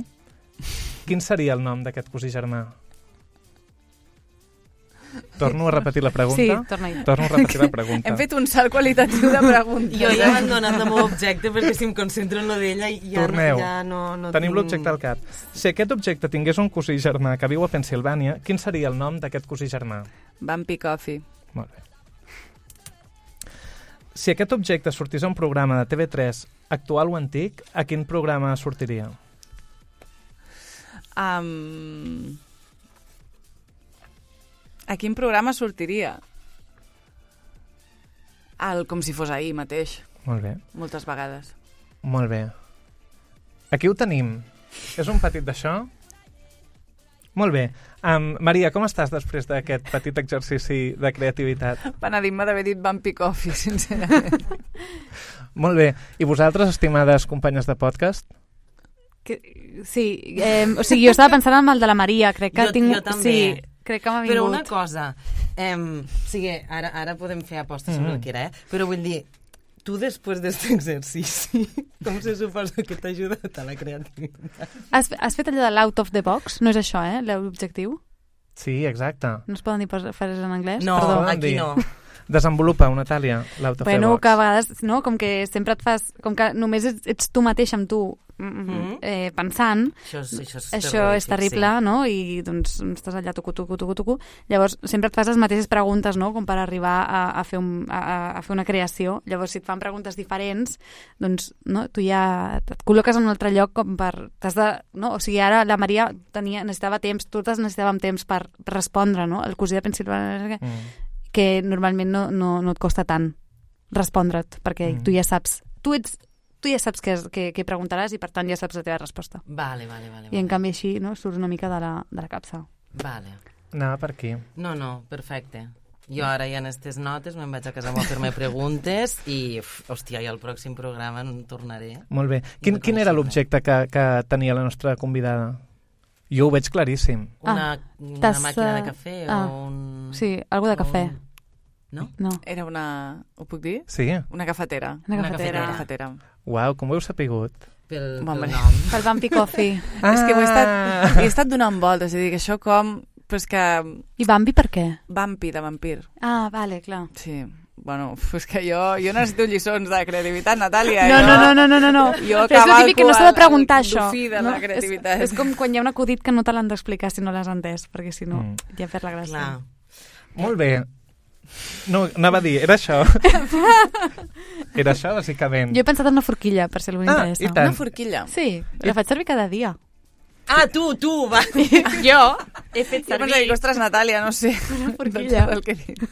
quin seria el nom d'aquest cosí germà? Torno a repetir la pregunta? Sí, torna-hi. Torno a repetir la pregunta. Hem fet un salt qualitatiu de preguntes. Jo ja he abandonat el meu objecte perquè si em concentro en lo d'ella ja, Torneu. no, ja no, no Tenim tinc... l'objecte al cap. Si aquest objecte tingués un cosí germà que viu a Pensilvània, quin seria el nom d'aquest cosí germà? Bumpy Coffee. Molt bé. Si aquest objecte sortís a un programa de T V tres actual o antic, a quin programa sortiria? Um... A quin programa sortiria? El, com si fos ahir mateix, Molt bé. moltes vegades. Molt bé. Aquí ho tenim. És un petit d'això? Molt bé. Um, Maria, com estàs després d'aquest petit exercici de creativitat? Penedim-me d'haver dit Bumpy Coffee, sincerament. Molt bé. I vosaltres, estimades companyes de podcast? Que, sí, eh, o sigui, jo estava pensant en el de la Maria, crec que Jo- tinc... jo també. Sí, crec que m'ha vingut. Però una cosa, eh, o sigui, ara, ara podem fer apostes sobre Mm. el que era, eh? Però vull dir, tu després d'aquest exercici, com se suposa que t'ha ajudat a la creativitat? Has, has fet allò de l'out of the box? No és això, eh, l'objectiu? Sí, exacte. No es poden dir pos- frases en anglès? No, Perdó. Poden aquí dir. no. Desenvolupa, Natàlia, l'out of the Bueno, box. que a vegades, no? Com que sempre et fas... Com que només ets, ets tu mateix amb tu mm, Mhm. eh, pensant, Això, és- això és això és terrible, sí. no? I doncs estàs allà tucu, tucu, tucu, tucu. Llavors sempre et fas les mateixes preguntes, no? Com per arribar a, a, fer, un, a, a fer una creació. Llavors si et fan preguntes diferents, doncs no? Tu ja et col·loques en un altre lloc com per... T'has de, no? O sigui, ara la Maria tenia, necessitava temps, totes necessitàvem temps per respondre, no? El cosí de Pensilvània, Mm. que normalment no, no, no et costa tant respondre't, perquè Mm. tu ja saps... Tu ets tu ja saps què, què, què preguntaràs i per tant ja saps la teva resposta. Vale, vale, vale. I en vale. canvi així no, surts una mica de la, de la capsa. Vale. Anava per aquí. No, no, perfecte. Jo ara ja en aquestes notes me'n vaig a casa a fer-me preguntes i, uf, hòstia, i al pròxim programa en tornaré. Molt bé. Quin, quin era l'objecte que, que tenia la nostra convidada? Jo ho veig claríssim. Una, Ah, una tassa- màquina de cafè ah, o un... Sí, algo de o cafè. un- No? No. Era una... Ho puc dir? Sí? Una cafetera. Una Una cafetera. Una cafetera. Uau, com ho heu sapigut? Pel, pel Hombre. nom. Pel Bumpy Coffee. Ah! És que ho he estat, he estat donant voltes, és a dir, que això com... Però és que... I Bambi per què? Vampi, de vampir. Ah, vale, clar. Sí. Bueno, uf, és que jo, jo necessito lliçons de creativitat, Natàlia. No, jo, no, no, no, no, no, no. Jo Però és el típic que no s'ha de cavalco preguntar, el- el això. dofí de la creativitat. És, és com quan hi ha un acudit que no te l'han d'explicar si no l'has entès, perquè si no, Mm. ja perd la gràcia. Clar. Molt bé. No, anava a dir, era això. Era això, bàsicament. Jo he pensat en una forquilla, per si algú Ah, interessa. i tant. Una forquilla. Sí, la faig servir cada dia. Ah, tu, tu, va. Jo he fet Jo pensava que, ostres, Natàlia, no sé. Una forquilla. El que dic.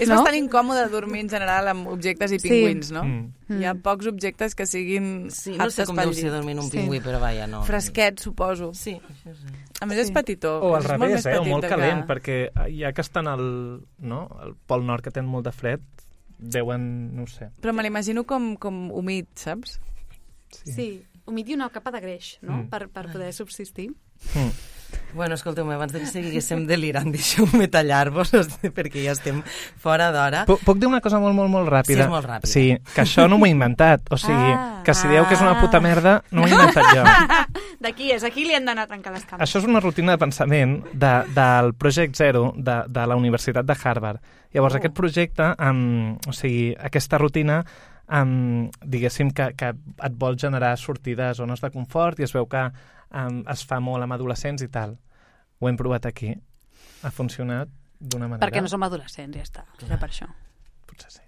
És No? bastant incòmode dormir en general amb objectes i Sí. pingüins, no? Mm. Hi ha pocs objectes que siguin Sí, no sé aptes com pel deu ser llit. dormir en un Sí. pingüí, però vaja, no. Fresquet, suposo. Sí, això sí. A més, és Sí. petitó. O al és molt revés, més eh? O petit molt que- calent, perquè ja que estan al, no? al Pol Nord, que tenen molt de fred, deuen, no ho sé. Però me l'imagino com, com humit, saps? Sí, humit i una capa de greix, no? Mm. Per, per poder subsistir. Mm. Bueno, escolteu-me, abans de que seguíssim delirant, deixeu-me tallar-vos, perquè ja estem fora d'hora. Puc, puc dir una cosa molt, molt, molt ràpida? Sí, és molt ràpida. Sí, que això no m'ho he inventat. O sigui, Ah. que si dieu que és una puta merda, no ho he inventat jo. D'aquí és, aquí li han d'anar a tancar les cames. Això és una rutina de pensament de, del Project Zero de, de la Universitat de Harvard. Llavors, Oh. aquest projecte, um, o sigui, aquesta rutina, um, diguéssim que, que et vol generar sortir de zones de confort i es veu que um, es fa molt amb adolescents i tal. Ho hem provat aquí. Ha funcionat d'una manera... Perquè no som adolescents, ja està. Era per això. Potser sí.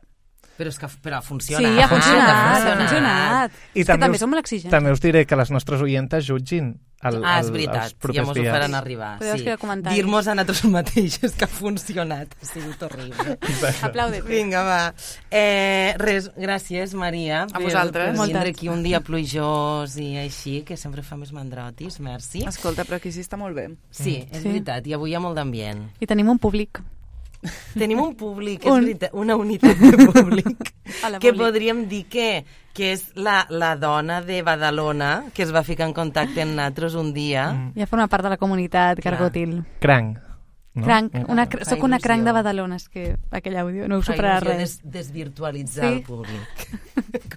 Però és que però Sí, funciona. ha funcionat, ha funcionat. funcionat. I És que també us, som molt exigents. també us diré que les nostres oientes jutgin el, Ah, és el, veritat, els propers ja mos ho dies. faran arribar. Podeu Sí. escriure comentaris. Dir-nos a nosaltres mateixos que ha funcionat. Ha sigut horrible. Aplaudete. Vinga, va. Eh, res, gràcies, Maria, A per, vosaltres. per Moltes. vindre aquí un dia plujós i així, que sempre fa més mandrotis. Merci. Escolta, però aquí sí està molt bé. Sí, és Sí. veritat, i avui hi ha molt d'ambient. I tenim un públic. Tenim un públic, és Un. veritat, una unitat de públic, A la que públic. podríem dir que, que és la, la dona de Badalona que es va ficar en contacte amb nosaltres un dia. Mm. Ja forma part de la comunitat Clar. gargotil. Cranc. No? Cranc, Mm. una, Fa soc una il·lusió. cranc de Badalona, és que aquell àudio no ho Fa superarà il·lusió res. Des, desvirtualitzar Sí. el públic.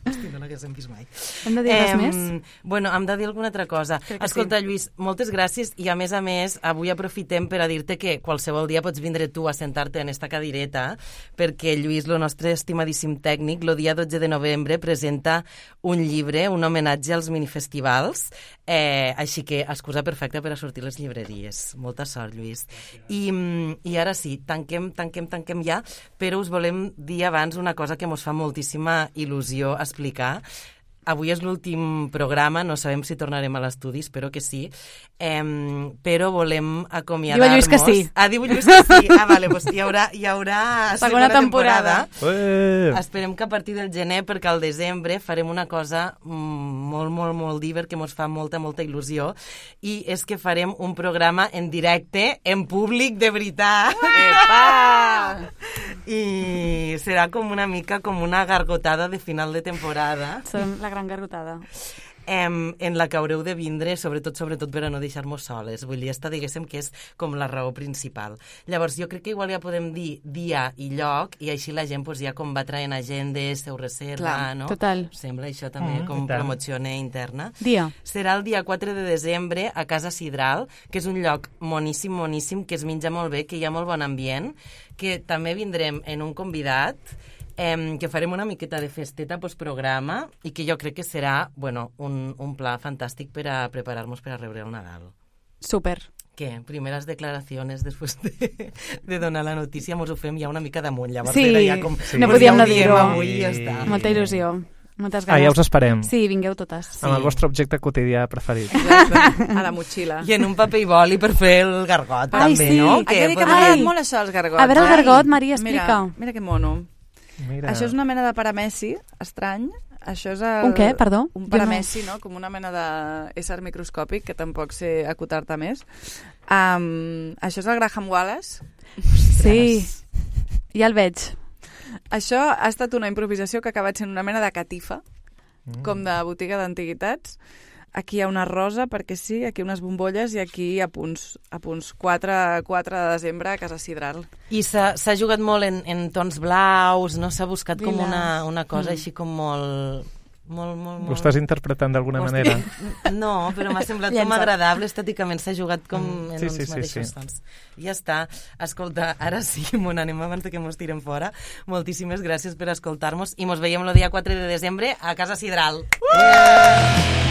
Com si no l'haguéssim vist mai. Hem de dir res Em, més? Bueno, hem de dir alguna altra cosa. Crec que Escolta, Lluís, moltes gràcies i a més a més avui aprofitem per a dir-te que qualsevol dia pots vindre tu a sentar-te en esta cadireta perquè Lluís, el nostre estimadíssim tècnic, el dia dotze de novembre presenta un llibre, un homenatge als minifestivals, eh, així que excusa perfecta per a sortir a les llibreries. Molta sort, Lluís. I, mm, i ara sí, tanquem, tanquem, tanquem ja, però us volem dir abans una cosa que mos fa moltíssima il·lusió explicar. Avui és l'últim programa, no sabem si tornarem a l'estudi, espero que sí, eh, però volem acomiadar-nos. Diu Lluís que sí. Ah, diu Lluís que sí. Ah, vale, doncs hi haurà, hi haurà segona, Segona temporada. temporada. Eh! Esperem que a partir del gener, perquè al desembre farem una cosa mm, molt, molt, molt diver, que mos fa molta, molta il·lusió, i és que farem un programa en directe, en públic, de veritat. Epa! I serà com una mica com una gargotada de final de temporada, Som la gran gargotada. em, en la que haureu de vindre, sobretot, sobretot per a no deixar-nos soles. Vull dir, esta diguéssim que és com la raó principal. Llavors, jo crec que igual ja podem dir dia i lloc, i així la gent pues, ja com va traient agendes, se ho reserva, Clar, no? total. Sembla això també Mm, com i tant. promoció interna. Dia. Serà el dia quatre de desembre a Casa Sidral, que és un lloc moníssim, moníssim, que es menja molt bé, que hi ha molt bon ambient, que també vindrem en un convidat, eh, que farem una miqueta de festeta postprograma i que jo crec que serà bueno, un, un pla fantàstic per a preparar-nos per a rebre el Nadal. Super. Què? Primeres declaracions després de, de donar la notícia, mos ho fem ja una mica damunt. Llavors Sí, era ja com, no pues podíem ja no ho diem dir-ho. avui i ja està. Molta il·lusió. Moltes Ah, ganes. ja us esperem. Sí, vingueu totes. Amb el vostre objecte quotidià preferit. Exacte, a la motxilla. I en un paper i boli per fer el gargot, Ai, també, sí. no? Haig de dir que podria- m'ha agradat Ai. molt això, els gargots. A veure el Ai. gargot, Maria, explica. Mira, mira que mono. Mira. Això és una mena de paramessi, estrany. Això és el, Un què, perdó? Un Jo paramessi, no? Com una mena d'ésser microscòpic, que tampoc sé acotar-te més. Um, això és el Graham Wallace. Sí, ja el veig. Això ha estat una improvisació que ha acabat sent una mena de catifa, mm. com de botiga d'antiguitats. Aquí hi ha una rosa, perquè sí, aquí unes bombolles i aquí a punts, a punts quatre, quatre de desembre a Casa Sidral. I s'ha s'ha jugat molt en, en tons blaus, no? S'ha buscat com Lilas. una, una cosa Mm. així com molt... Molt, molt, Ho molt... estàs interpretant d'alguna Hosti, manera? No, però m'ha semblat com Llença't. agradable, estèticament s'ha jugat com en Sí, uns sí, sí, mateixos sí. tons. Ja està. Escolta, ara sí, mon anem abans de que mos tirem fora. Moltíssimes gràcies per escoltar-nos i mos veiem el dia quatre de desembre a Casa Sidral. Uh!